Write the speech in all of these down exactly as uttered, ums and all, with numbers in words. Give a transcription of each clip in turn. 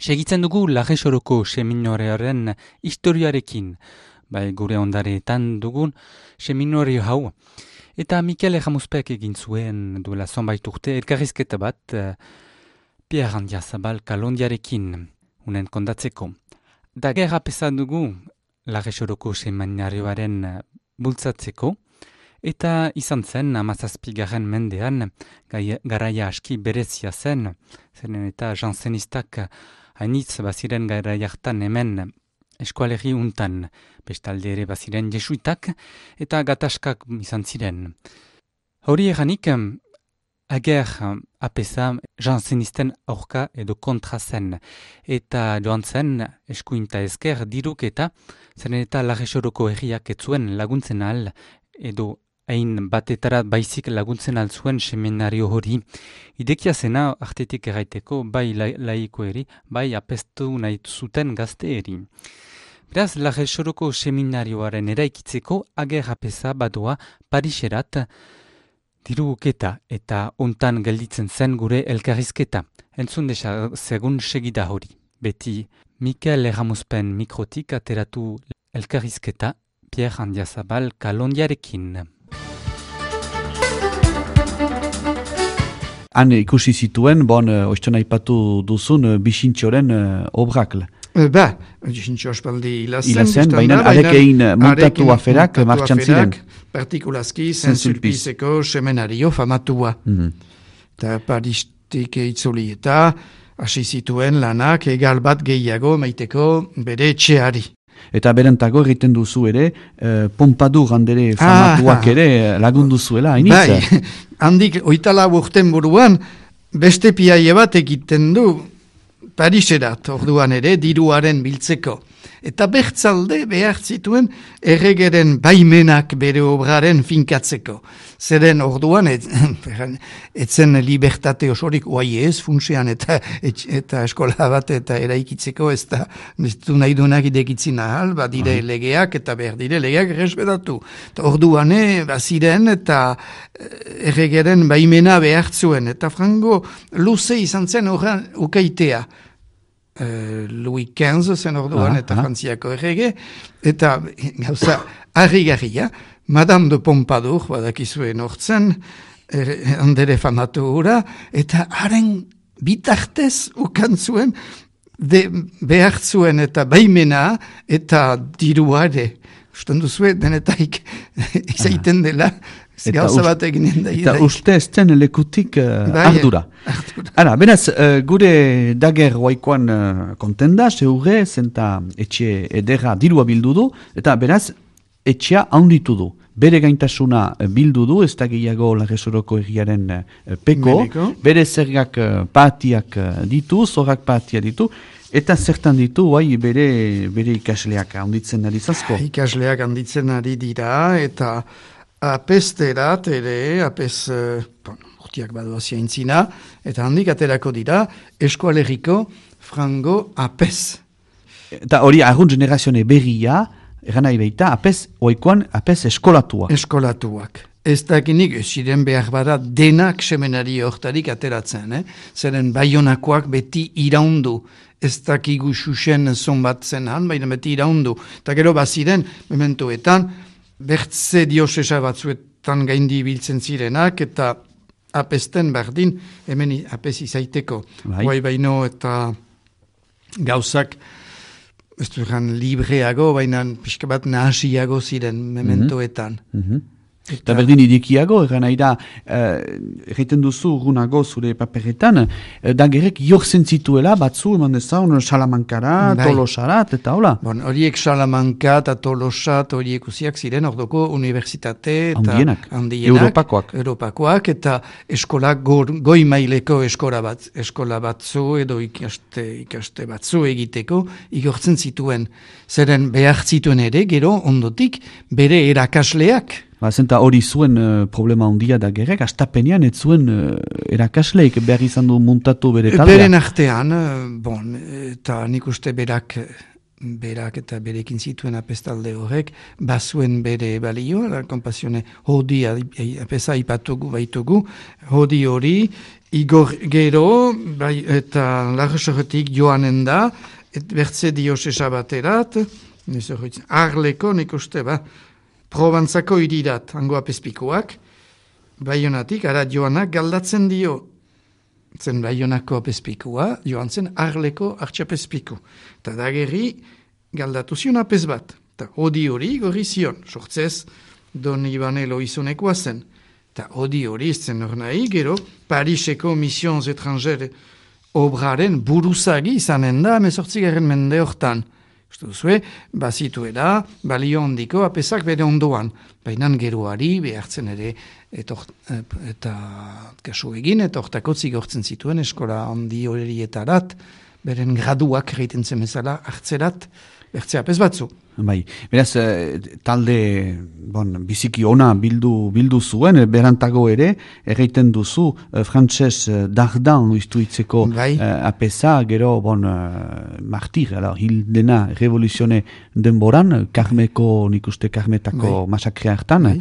Segitzen dugu Larresoroko seminorearen historiarekin, bai gure ondareetan dugun seminorio hau. Eta Mikel Erramuzpek egin zuen duela zonbait urte elkarrizketa bat uh, Pierre Andiazabal Kalondiarekin, unen kondatzeko. Da gerra pesa dugu Larresoroko seminarioaren uh, bultzatzeko, eta izan zen hamazazpigarren mendean gai, garaia aski berezia zen, zeren eta jansenistak hainitz baziren garaia hartan hemen eskualerri untan, bestalde ere baziren jesuitak eta gatazkak izan ziren. Hori eranik, ager apesa jansenisten aurka edo kontra zen, eta joan zen eskuinta ezker diruk eta zeren eta Larresoroko herriak etzuen laguntzen al edo hain batetara baizik laguntzen altzuen seminario hori. Idekia zena artetik erraiteko bai la, laiko eri, bai apestu nahi zuten gazte eri. Beraz, Larresoroko seminarioaren eraikitzeko ager apesa badoa Pariserat diruketa eta ontan gelditzen zen gure elkarrizketa. Entzun desa segun segida hori. Beti Mikel Erramuzpen mikrotik ateratu elkarrizketa Pierre Andiazabal Kalondiarekin. Han ikusi zituen, bon, oizten aipatu duzun, Bixintxoren uh, obrak. Ba, Bixintxo aspaldi hilazen. Hilazen, baina arek egin montatu aferak martxan ziren. Partikulazki, Saint-Sulpiceko seminario famatua. Eta mm-hmm. Paristik itzuli eta hasi zituen lanak egal bat gehiago maiteko bere etxeari. Eta berantago egiten duzu ere, eh, Pompadour handere famatuak ah, ere lagundu zuela, hainitz? Bai, handik oitala urten buruan, beste piaie bat egiten du Pariserat, orduan ere, diruaren biltzeko. Eta bertzalde behar zituen erregeren baimenak bere obraren finkatzeko. Zeren orduan, et, etzen libertate osorik oai ez, funtsean eta, et, eta eskola bat eta eraikitzeko ez da nahi duenak idekitzin ahal, badire uh-huh. legeak eta behar dire legeak errespetatu. Orduan, baziren eta erregeren baimena behar zuen. Eta frango luze izan zen horren ukaitea. Uh, Louis quinze zen orduan ah, eta ah. Frantziako errege, eta gauza harri-garria, Madame de Pompadour, badakizuen hortzen, er, andere famatu hura, eta haren bitartez ukan zuen, de, behar zuen eta baimena eta diruare. Usten duzue, denetaik izaiten dela, gauza bat eginen da. Eta uste ez den lekutik uh, bai, ardura. ardura. Ara, beraz, uh, gure dager guaikoan uh, kontenda, zeure, zenta etxe edera dirua bildu du, eta beraz, etxea handitu du. Bere gaintasuna bildu du, ez da gehiago Larresoroko egiaren uh, peko, Mediko. Bere zergak uh, patiak uh, ditu, zorrak patia ditu, eta zertan ditu, bai, bere, bere ikasleak handitzen ari zazko. Ikasleak handitzen ari dira, eta apesterat ere, apes, uh, bon, urtiak badua ziaintzina, eta handik aterako dira, eskualeriko frango apes. Eta hori argun generazione berria, eran nahi behita, apes, oikoan, apes eskolatua. Eskolatuak. Ez dakinik, ziren behar bada denak seminari hortarik ateratzen, eh? Zeren baionakoak beti iraundu. Ez dakigu xuxen zonbat zen han, baina beti iraundu. Eta gero baziren, mementoetan, bertze diosesa batzuetan gaindi biltzen zirenak, eta apesten berdin, hemen apes izaiteko. Bai. Guai baino eta gauzak, ez du egan libreago, baina pixka bat nahasiago ziren mementoetan. Mm-hmm. Eta berdin idikiago, eran nahi da, egiten duzu urgunago zure paperetan, dagerek jorzen zituela, batzu, eman dezaun, Salamankara, bai. Tolosarat, eta hola? Bon, horiek Salamanka eta Tolosat, horiek usiak ziren, ordoko universitate, eta handienak, handienak Europakoak. Europakoak, eta eskola goi maileko eskola, bat, eskola batzu, edo ikaste, ikaste batzu egiteko, igortzen zituen. Zeren behar zituen ere, gero, ondotik, bere erakasleak, Ba, zenta hori zuen uh, problema handia da gerek, astapenean ez zuen uh, erakasleik behar izan du muntatu bere taldea. Beren artean, uh, bon, eta nik uste berak berak eta berekin zituen apestalde horrek, bazuen bere balio, la kompasione hodi apesa ipatugu baitugu, hodi hori, igor gero, bai, eta larrosoretik joanen da, et bertze diosesa baterat, arleko nik uste, ba, Probantzako irirat, hango apespikoak, Baionatik, ara joanak galdatzen dio, zen Baionako apespikoa, joan zen arleko artxapezpiku. Eta dagerri galdatu zion apes bat. Eta hodi hori gorri zion, sortzez Don Ibanelo izunekoa zen. Eta hodi hori zen hor nahi, gero Pariseko Missions Etrangere obraren buruzagi izanen da, emezortzigaren mende hortan. Uste duzue, bazituela, balio handiko apesak bere ondoan. Baina geroari behartzen ere etor, eta kasu egin, eta hortako zigortzen zituen eskola handi horietarat, beren graduak egiten zemezala hartzerat, bertzea apes batzu. Bai, beraz, talde bon, biziki ona bildu, bildu zuen, berantago ere, erreiten duzu, frantses dardan uistuitzeko bai. apesa, gero, bon, martir, ala, hil dena revoluzione denboran, Karmeko, nik uste Karmetako bai. masakrea hartan, bai.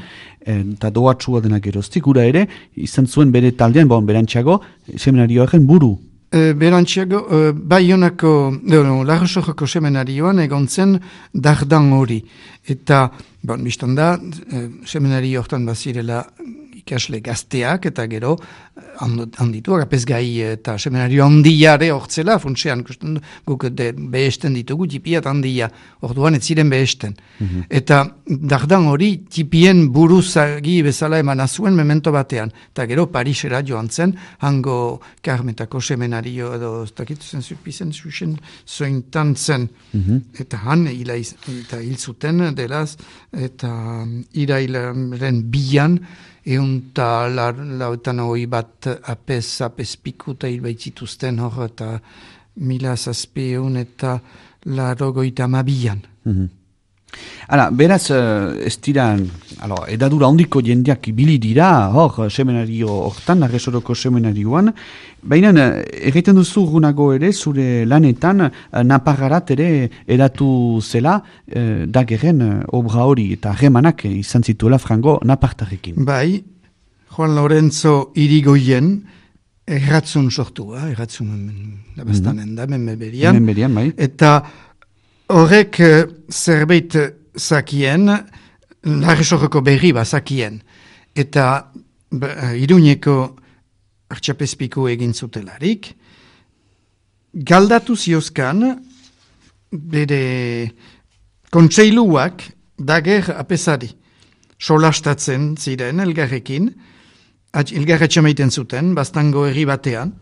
eta doatsua dena geroztik, gura ere, izan zuen bere taldean, bon, berantxago, seminarioaren buru. Uh, Berantxiago, uh, Baionako, no, Larrosojoko seminarioan egon zen dardan hori. Eta, bon, biztan da, uh, seminario hortan bazirela ikasle gazteak, eta gero, handituak, apesgai eta seminario handiare hortzela, funtsean, guk de, behesten ditugu, tipiat handia, orduan ez ziren behesten. Mm-hmm. Eta dardan hori, tipien buruzagi bezala eman azuen memento batean. Eta gero, Parisera joan zen, hango Karmetako seminario, edo, ez dakitu zen, zupizen, zuzen, zointan zen. Mm-hmm. Eta han, ila, eta hil zuten, delaz, eta irailaren bian, eunta lautan hoi bat apes, apespiku eta hilbaitzituzten hor eta mila zazpeun eta larogoita mabian. Mm-hmm. Hala, beraz, ez dira, alo, edadura ondiko jendeak ibili dira, hor, seminario hortan, Arresoroko seminarioan, baina egiten duzu gunago ere, zure lanetan, Naparrarat ere edatu zela, eh, dageren obra hori, eta harremanak izan zituela frango Napartarrekin. Bai, Juan Lorenzo Irigoyen, erratzun sortua, erratzun labastanen da, menberian, menberian, bai. Eta horrek zerbait zakien, Larresoroko berri bazakien, eta Iruñeko artxapezpiko egin zutelarik, galdatu ziozkan, bere kontseiluak dager apesari, solastatzen ziren elgarrekin, elgarretxe maiten zuten, bastango herri batean,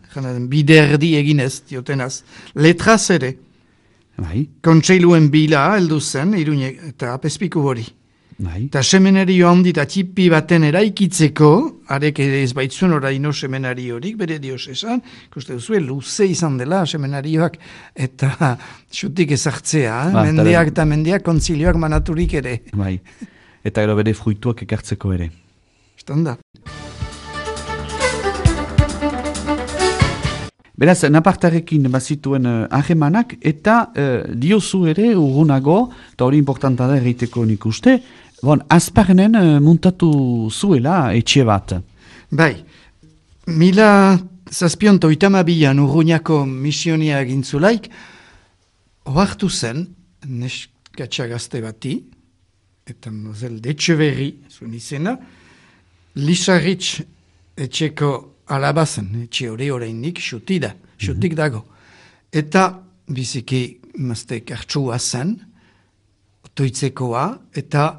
biderdi eginez, diotenaz, letraz ere, Bai. Kontseiluen bila heldu zen, Iruñe eta apezpiku hori. Bai. Eta seminario handi eta txipi baten eraikitzeko, arek ere ez baitzuen oraino seminari horik, bere dios esan, ikuste duzue, luze izan dela seminarioak, eta xutik ezartzea, ba, mendiak eta mendiak kontzilioak manaturik ere. Bai. Eta gero bere fruituak ekartzeko ere. Estanda. Beraz, Napartarekin bazituen ahemanak, uh, eta uh, diozu ere urgunago, eta hori importanta da erreiteko nik uste, bon, Azparnen uh, muntatu zuela etxe bat. Bai, mila zazpionto itamabian urguñako misionia egintzulaik, oartu zen, neskatxa gazte bati, eta mozel Etxeberri, zuen izena, Lisarritz etxeko alabazen, etxe hori horreindik, xuti da, xutik dago. Eta biziki mazte kartsua zen, otoitzekoa, eta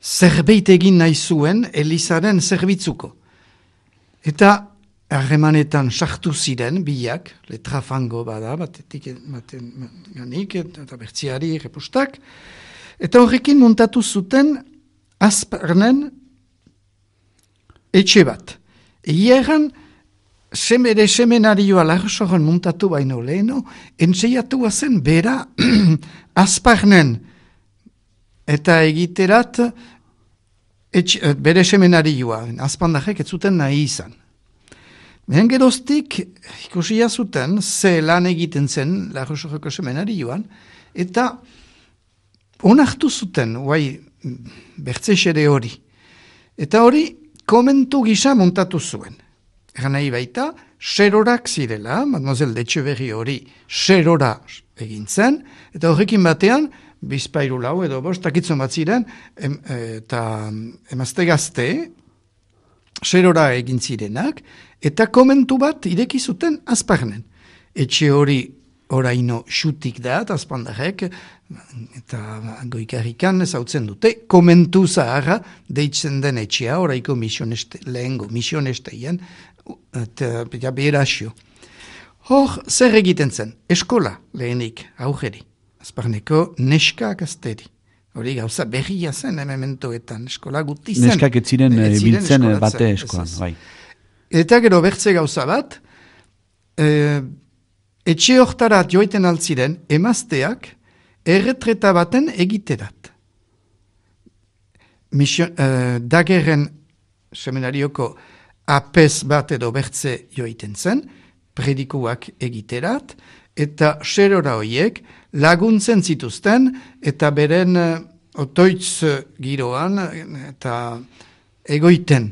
zerbait egin nahi zuen Elizaren zerbitzuko. Eta harremanetan sartu ziren biak, letrafango bada, batetik ganik, eta bertziari repustak, eta horrekin muntatu zuten Azparnen etxe bat. Egeran, Semere seminarioa Larrosoron muntatu baino leheno, entzeiatua zen bera Azparnen eta egiterat etxe, bere seminarioa, azpandarek ez zuten nahi izan. Behen geroztik ikusia zuten ze lan egiten zen Larrosoroko seminarioan, eta onartu zuten, guai, bertzesere hori. Eta hori, komentu gisa montatu zuen. Egan nahi baita, serorak zirela, mademoiselle d'Etxeberri hori serora egin zen, eta horrekin batean, bizpairu lau edo bost, takitzen bat ziren, em, eta emazte gazte, serora egin zirenak, eta komentu bat ireki zuten azparnen. Etxe hori oraino xutik da, eta azpandarek, eta goikarrikan zautzen dute, komentu zaharra deitzen den etxea, oraiko misioneste, lehengo misionesteien, eta ja, berazio. Hor, zer egiten zen? Eskola lehenik, aurreri. Azparneko neska gazteri. Hori gauza berria zen emementoetan, eskola guti zen. Neskak ez ziren biltzen bate eskolan, bai. Eta gero bertze gauza bat, e, etxe hortarat joiten altziren emazteak erretreta baten egiterat. Mission, e, dagerren seminarioko apez bat edo bertze joiten zen, predikuak egiterat, eta serora horiek laguntzen zituzten, eta beren uh, otoitz giroan, eta egoiten.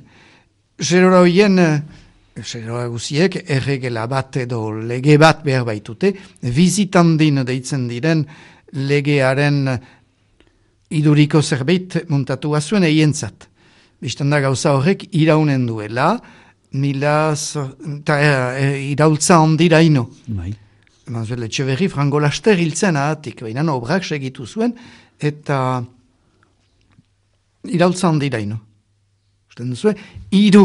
Serora horien, uh, serora guziek, erregela bat edo lege bat behar baitute, visitandin deitzen diren legearen iduriko zerbait muntatua zuen eientzat. Bistan da gauza horrek iraunen duela, milaz, eta e, iraultza ondira ino. Bai. Manuel Etxeberri frango laster hiltzen ahatik, baina obrak segitu zuen, eta iraultza ondira ino. Usten duzu, hiru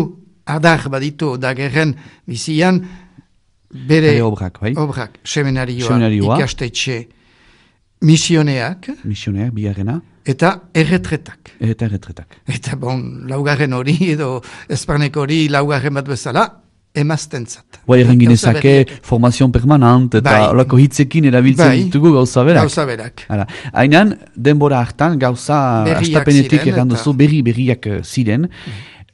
adar baditu dagerren bizian, bere Bere obrak, bai. obrak, seminarioa, Seminarioa. ikastetxe, misioneak, Misioneak, biharrena, eta erretretak. eta erretretak. Eta bon, laugarren hori edo esparneko hori laugarren bat bezala, emaztentzat. Bai, erren ginezake formazion permanent, eta Bai. olako hitzekin erabiltzen Bai. ditugu gauza berak. Gauza berak. Hala. Hainan, denbora hartan gauza Berriak astapenetik ziren, erran eta- duzu, berri berriak eh, ziren.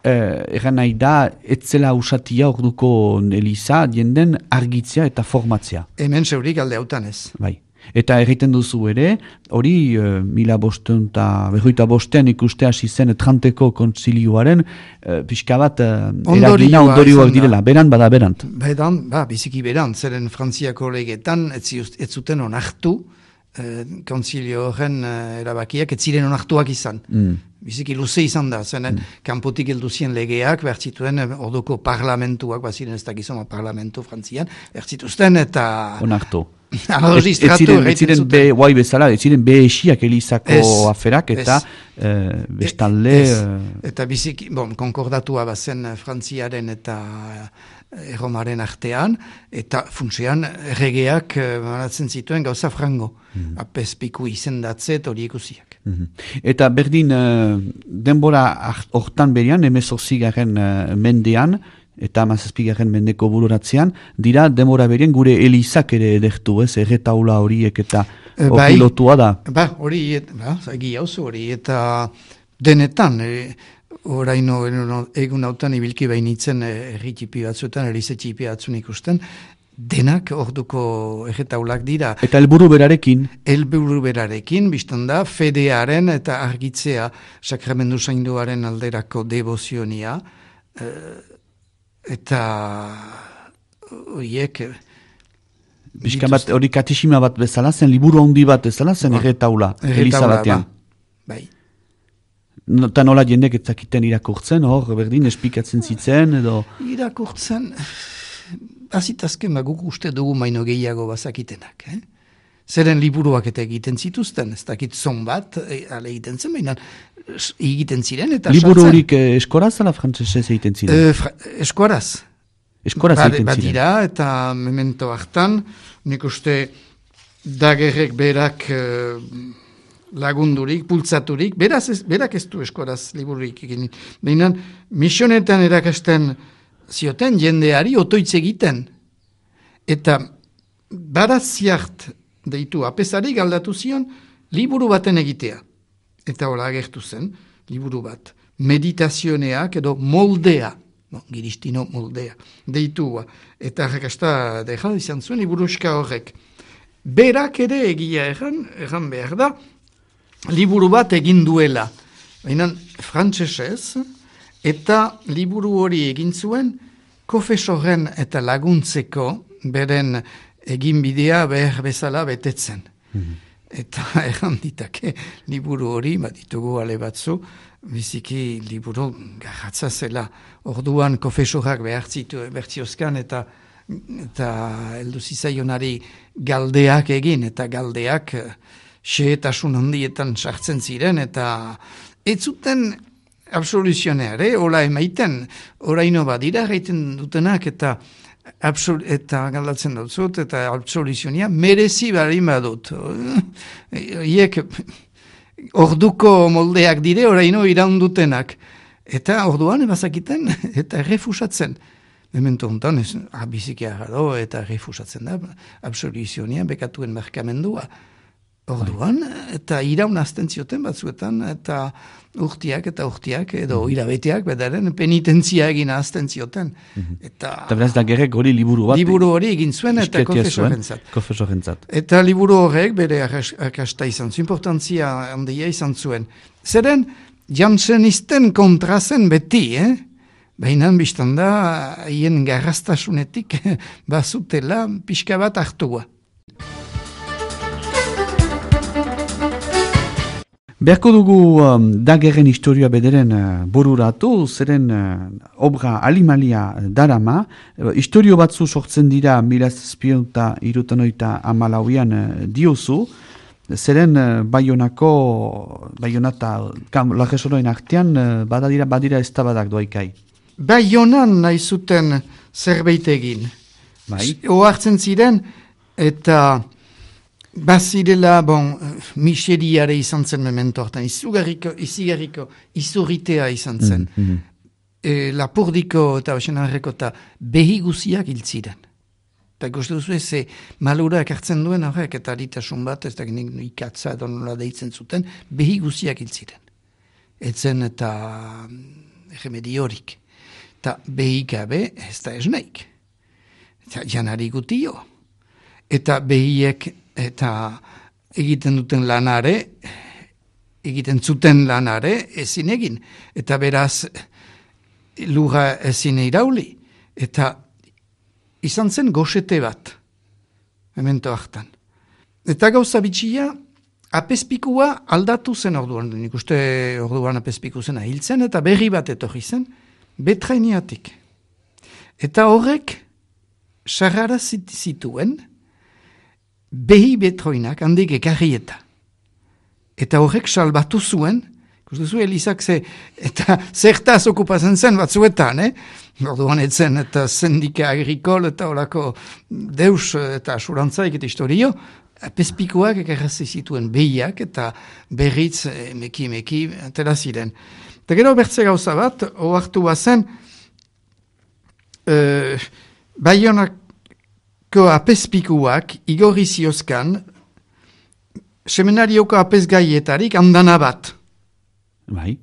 Eh, erran nahi da, etzela usatia orduko eliza, jenden argitzea eta formatzea. Hemen zeurik alde hautan ez. Bai. Eta erriten duzu ere, hori uh, mila bosteun eta berroita bostean ikuste hasi zen tranteko kontzilioaren uh, pixka bat uh, Ondorioa eragina ondorioak izan da. direla, beran bada berant. Bedan, ba, biziki beran, zeren Frantziako legetan ez, ziust- ez zuten onartu, eh, konzilio horren eh, erabakiak ez ziren onartuak izan. Mm. Biziki luze izan da, zenen kanpotik heldu zien legeak, bertzituen eh, orduko parlamentuak, baziren ez dakizoma parlamentu Frantzian, bertzituzten eta Onartu. registratu Ez ziren, ez erraiten ziren zuten. be, guai bezala, ez ziren be esiak elizako Ez, aferak eta ez. eh, bestalde... Ez. eh, Eta biziki, bon, konkordatua bazen eh, Frantziaren eta eh, Erromaren artean, eta funtsean erregeak eh, banatzen zituen gauza frango. Mm. Apez piku izendatze eta hori ikusiak. mhm. Eta berdin eh, denbora hart- hortan berian, emezortzigaren uh, mendean, eta hamazazpigarren mendeko bururatzean, dira denbora berien gure elizak ere edertu, ez, erretaula horiek eta E, hori bai. lotua da. Ba, hori, et- ba, egia hauzu hori, eta denetan, e, oraino eno- egun hautan ibilki bainitzen erri txipi batzuetan, erize txipi batzun ikusten, denak orduko erretaulak dira. Eta helburu berarekin, Helburu berarekin, biztan da, fedearen eta argitzea sakramendu zainduaren alderako devozionia, eh, eta horiek... pixka bat hori katexima bat bezala zen, liburu handi bat bezala zen Ba, erretaula, eliza erretaula, batean. ba, bai. No- Eta nola jendek etzakiten irakurtzen, hor, berdin, esplikatzen zitzen, edo... Irakurtzen, azitazken guk uste dugu maino gehiago bazakitenak, eh? Zeren liburuak eta egiten zituzten, ez dakit zon bat, e, ale egiten zen, baina s- egiten ziren eta Liburu sartzen. horik eh, eskoraz ala frantzesez egiten ziren? E, fra, eskuaraz. Eskoraz Ba- egiten ziren. Badira, eta memento hartan, nik uste dagerrek berak eh, lagundurik, pultzaturik, beraz ez, berak ez du eskuaraz libururik egin. Baina misionetan erakasten zioten jendeari otoitz egiten. Eta baraziart deitu apesari galdatu zion liburu baten egitea. Eta hola agertu zen, liburu bat. Meditazioneak edo moldea, no, giristino moldea, deitua. Eta arrakasta deja izan zuen liburuska horrek. Berak ere egia erran, erran behar da, liburu bat egin duela. Baina frantsesez, eta liburu hori egin zuen kofesoren eta laguntzeko beren eginbidea behar bezala betetzen. Mm-hmm. Eta erranditake liburu hori, bat ditugu ale batzu, biziki liburu garratza zela. Orduan kofesorak behar zitu bertziozkan eta eta heldu zitzaionari galdeak egin, eta galdeak xehetasun handietan sartzen ziren, eta ez zuten absoluzioneare, hola emaiten, oraino badira gaiten dutenak, eta absol, eta galdatzen dut zut, eta absoluzionia merezi bari badut. Iek orduko moldeak dire, oraino iraundutenak. Eta orduan ebazakiten, eta refusatzen. Memento honetan, ah, bizikia gado, eta refusatzen da, absoluzionia bekatuen markamendua. Orduan, eta iraun azten zioten batzuetan, eta urtiak eta urtiak, edo irabeteak, bedaren penitentzia egin azten zioten. Eta beraz da gerek hori liburu bat. Liburu hori egin zuen, eta kofesorentzat. Kofesorentzat. Eta liburu horrek bere akasta izan zuen, importantzia handia izan zuen. Zeren, jansenisten kontrazen beti, eh? Baina biztan da, hien garrastasunetik bazutela pixka bat hartua. Beharko dugu um, dagerren historia bederen uh, bururatu, zeren uh, obra alimalia darama, uh, historio batzu sortzen dira mila zazpiehun hirurogei hamalauean uh, diozu, zeren uh, Baionako, Baionata lagesoroen artean uh, badadira badira eztabadak doaikai. Baionan nahi zuten zerbait egin. Bai. Ohartzen ziren, eta bazirela, bon, miseriare izan zen memento hartan, izugarriko, izigarriko, izurritea izan zen. Mm, mm. E, lapurdiko eta osenarreko eta behi guziak hiltziren. Eta guzti duzu ze malurak hartzen duen horrek, eta aritasun bat, ez da ikatza edo nola deitzen zuten, behi guziak hiltziren. Etzen eta remediorik. Eta behi gabe ez da esneik. Eta janari gutio. Eta behiek eta egiten duten lanare, egiten zuten lanare ezin egin. Eta beraz lura ezin irauli. Eta izan zen goxete bat, memento hartan. Eta gauza bitxia, apezpikua aldatu zen orduan. Nik uste orduan apezpiku zena hiltzen, eta berri bat etorri zen, betrainiatik. Eta horrek sarrara zituen behi betroinak handik ekarri eta. Eta horrek salbatu zuen, ikustu Elizak ze, eta zertaz okupazen zen batzuetan, eh? Orduan etzen eta sendika agrikol eta horako deus eta asurantzaik eta historio, apezpikuak ekarrazi zituen behiak eta berriz meki-meki atera ziren. Eta gero bertze gauza bat, ohartu bazen, e, Baionako apezpikuak igorri ziozkan seminarioko apezgaietarik handana bat. Bai.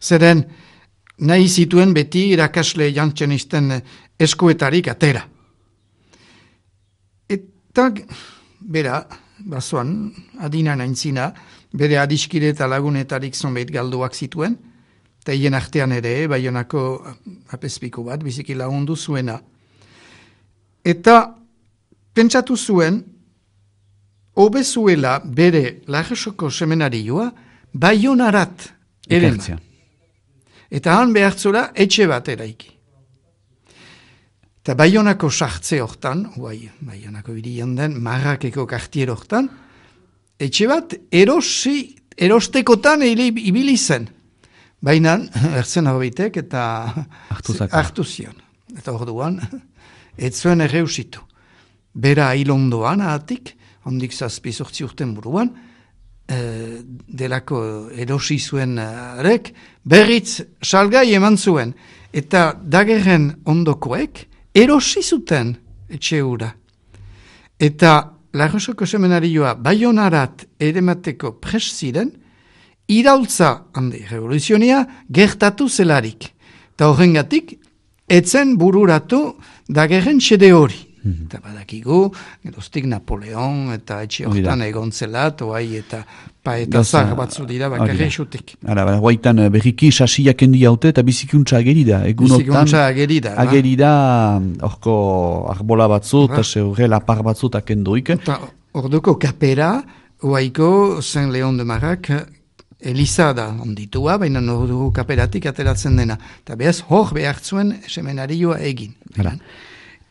Zeren nahi zituen beti irakasle jantzenisten eskuetarik atera. Eta bera, bazoan, adina naintzina, bere adiskire eta lagunetarik zonbait galduak zituen, eta hien artean ere, Baionako apezpiku bat, biziki lagundu zuena. Eta pentsatu zuen, hobezuela bere Larresoko seminarioa Baionarat ereman. Eta han behartzora etxe bat eraiki. Eta Baionako sartze hortan, guai, Baionako irian den, Marrakeko kartier hortan, etxe bat erosi, erostekotan ibili zen. Baina, ertzen horbitek eta hartu zion. Eta orduan, ez zuen erreusitu. Bera hilondoan ahatik, handik zazpi sortzi urten buruan, e, delako erosi zuen arek, berriz salgai eman zuen. Eta dagerren ondokoek, erosi zuten etxe hura. Eta Larresoko seminarioa Baionarat eremateko pres ziren, iraultza, handi, revoluzionia, gertatu zelarik. Eta horrengatik, etzen bururatu dagerren xede hori. Mm-hmm. Eta badakigu, geroztik Napoleon eta etxe hortan egon zela, toai eta pa eta zahar batzu dira bakarri xutik. Ara, guaitan berriki sasiak endi haute eta bizikuntza ageri da. Bizikuntza ageri da. Ageri da, orko arbola batzu eta zeure lapar batzu eta kendoik. Eta orduko kapera, oaiko Saint Leon de Marak Eliza da onditua, baina orduko kaperatik ateratzen dena. Eta behaz hor behartzuen semenarioa egin. Ara.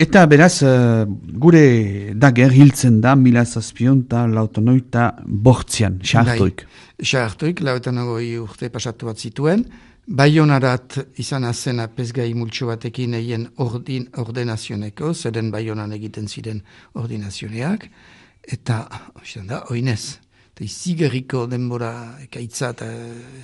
Eta beraz, uh, gure dager hiltzen da, mila zazpion eta lautonoita bortzian, xartoik. Xartoik, lautonogoi urte pasatu bat zituen, Baionarat izan azena pezgai multxo batekin egin ordin, ordenazioneko, zeren Baionan egiten ziren ordinazioneak, eta, oizan da, oinez, eta izigerriko denbora ekaitza eta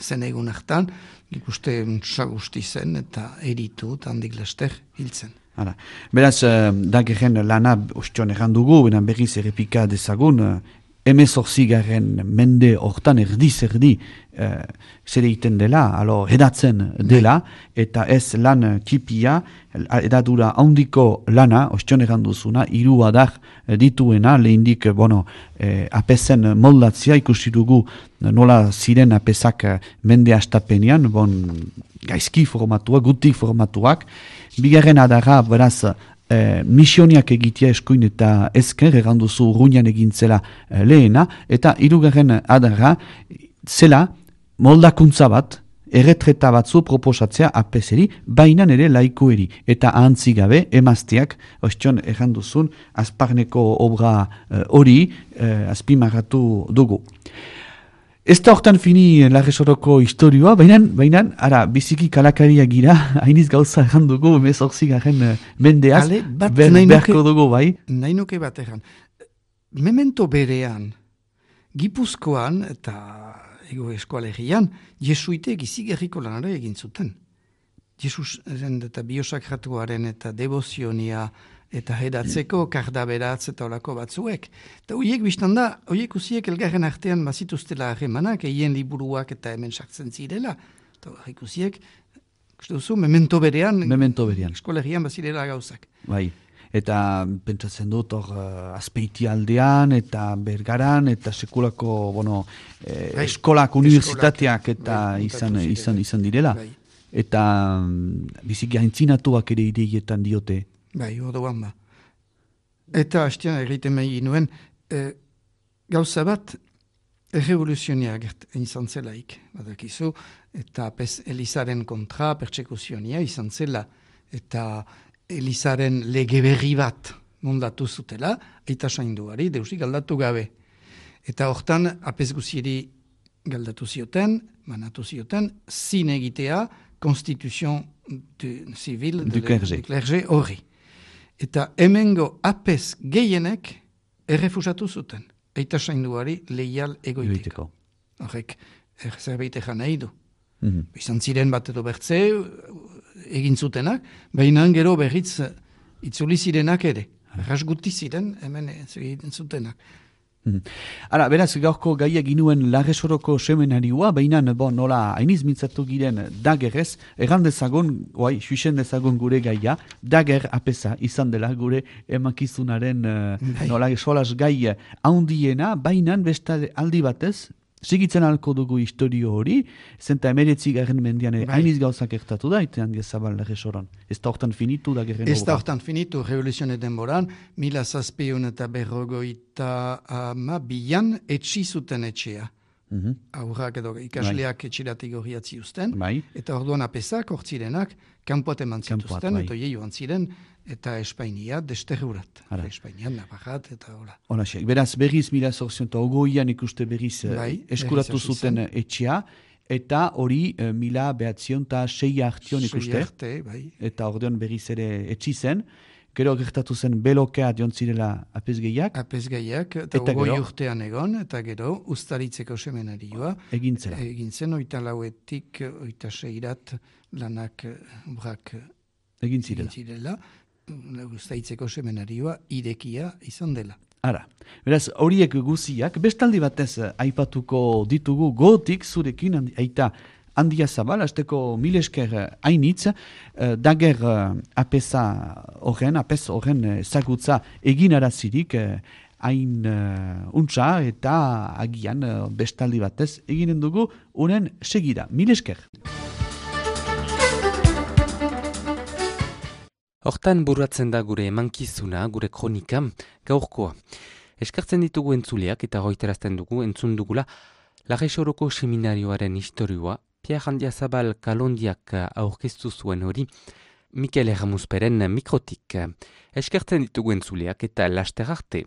zen egun hartan, ikuste sagusti zen, eta eritu, eta handik laster hiltzen. Hala. Beraz, uh, dageren lana ostion errandugu, benan berriz errepika dezagun, uh, emezortzigaren mende hortan erdiz erdi uh, zer egiten dela, alo, edatzen dela, eta ez lan tipia, edadura handiko lana, ostion erranduzuna, hiru adar dituena, lehindik, bueno, eh, apesen moldatzia ikusi dugu nola ziren apesak mende astapenean, bon, gaizki formatuak, gutik formatuak, bigarren adara, beraz, eh, misioniak egitea eskuin eta ezker, erranduzu urruñan egintzela eh, lehena, eta hirugarren adara, zela moldakuntza bat, erretreta batzu proposatzea apeseri, bainan ere laikoeri, eta ahantzigabe emazteak, ostion erranduzun, azparneko obra hori eh, azpimarratu dugu. Ez da hortan fini Larresoroko historioa, baina, baina, ara, biziki kalakaria gira, hainiz gauza errandugu, emezortzi garen mendeaz, ber, berko dugu, bai? Nahi nuke bat erran. Memento berean, Gipuzkoan eta ego eskoalegian, jesuitek izigerriko lanara egin zuten. Jesus eta biosakratuaren eta devozionia eta hedatzeko kardaberatz eta olako batzuek. Eta horiek biztan da, horiek usiek elgarren artean bazituztela harremanak, eien liburuak eta hemen sartzen zirela. Eta horiek usiek, uste duzu, memento berean, memento berean. Eskolegian bazirela gauzak. Bai. Eta pentsatzen dut hor uh, Azpeiti aldean eta Bergaran eta sekulako bueno, eh, bai, eskolak, unibertsitateak eta bai, izan, izan, izan direla. Bai. Eta um, biziki haintzinatuak ere ideietan diote. Bai, orduan ba. Eta hastean egiten mehi nuen, eh, gauza bat errevoluzionia izan zelaik, badakizu, eta pez Elizaren kontra pertsekuzionia izan zela, eta Elizaren lege berri bat mondatu zutela, eta sainduari deusik galdatu gabe. Eta hortan apez guziri galdatu zioten, manatu zioten, zin egitea konstituzion civil du clergé horri. Eta hemengo apez gehienek errefusatu zuten, eta sainduari leial egoiteko. Horrek, zerbait egan nahi du. Mm-hmm. Izan ziren bat edo bertze, egin zutenak, baina gero berriz itzuli zirenak ere. Arras guti ziren, hemen egin zutenak. Mm. Ara, beraz, gaurko gaia ginuen Larresoroko seminarioa, baina bon, nola hainiz mintzatu giren dagerez, erran dezagun, oai, suisen dezagun gure gaia, dager apesa izan dela gure emakizunaren uh, nola solas gai haundiena, baina besta aldi batez, segitzen alko dugu historio hori, zenta emeretzi garen mendian ere hainiz gauzak ertatu da, eta handia zabal Larresoron. Ez da hortan finitu da gerren Ez da hortan finitu, revoluzionen denboran, mila zazpion eta berrogoita ama bian etxi zuten etxea. Mm-hmm. Aurrak edo ikasleak bai. Etxiratik horriatzi usten, bai. Eta orduan apesak hortzirenak, kanpoat eman zituzten, bai. Eta jeioan ziren, eta Espainia desterrurat. Espainia naparrat, eta hola. Hola, beraz, berriz mila zorzion eta ogoian ikuste berriz bai, eskuratu berriz zuten etxea, eta hori uh, mila behatzion eta sei hartion ikuste. Arte, bai. Eta ordean berriz ere etxi zen. Gero gertatu zen belokea dion zirela apezgeiak. Apezgeiak, eta, eta ogoi urtean egon, eta gero ustaritzeko semenarioa. Egin zela. Egin zen, oita lauetik, oita seirat lanak obrak egin zirela. Egin zirela. Ustaritzeko semenarioa irekia izan dela. Ara, beraz, horiek guziak, bestaldi batez aipatuko ditugu gotik zurekin, aita handia zabal, hasteko mil esker hainitz, uh, dager uh, apesa horren, apes horren ezagutza egin arazirik, uh, hain uh, untsa eta agian uh, bestaldi batez eginen dugu unen segira. Mil esker. Hortan buruatzen da gure emankizuna, gure kronika, gaurkoa. Eskartzen ditugu entzuleak eta goiterazten dugu entzun dugula Larreixoroko seminarioaren historioa, Pierre Handiazabal Kalondiak aurkeztu zuen hori, Mikel Erramusperen mikrotik. Eskartzen ditugu entzuleak eta laster arte.